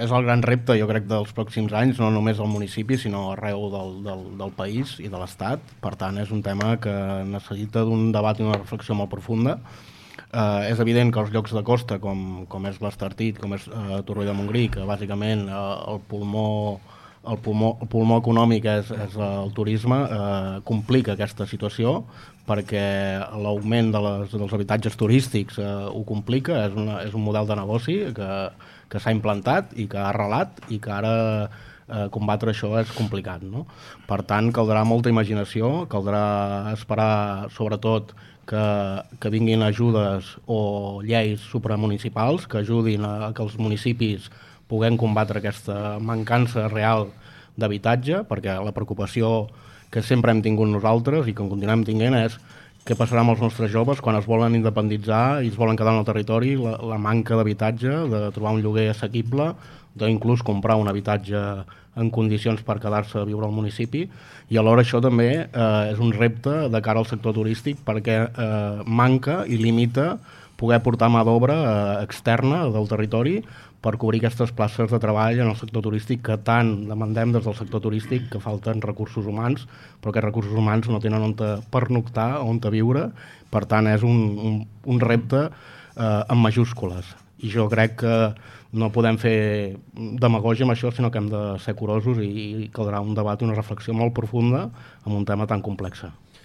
És el gran repte, jo crec, dels pròxims anys, no només al municipi, sinó arreu del país i de l'Estat. Per tant, és un tema que necessita d'un debat i una reflexió molt profunda. És evident que els llocs de costa, com és l'Estartit, com és Torroella de Montgrí, que bàsicament el pulmó econòmic és el turisme, complica aquesta situació perquè l'augment dels habitatges turístics ho complica, és un model de negoci que s'ha implantat i que ha arrelat i que ara combatre això és complicat, no? Per tant, caldrà molta imaginació, caldrà esperar sobretot que vinguin ajudes o lleis supramunicipals que ajudin a que els municipis puguem combatre aquesta mancança real d'habitatge, perquè la preocupació que sempre hem tingut nosaltres i que en continuem tinguent és què passarà amb els nostres joves quan es volen independitzar i es volen quedar en el territori, la manca d'habitatge, de trobar un lloguer assequible, d'inclús comprar un habitatge en condicions per quedar-se a viure al municipi, i alhora això també és un repte de cara al sector turístic perquè manca i limita poder portar mà d'obra externa del territori per cobrir aquestes places de treball en el sector turístic que tant demandem des del sector turístic, que falten recursos humans, però aquests recursos humans no tenen on pernoctar, on viure. Per tant, és un repte en majúscules. I jo crec que no podem fer demagògia amb això, sinó que hem de ser curosos i caldrà un debat i una reflexió molt profunda amb un tema tan complex.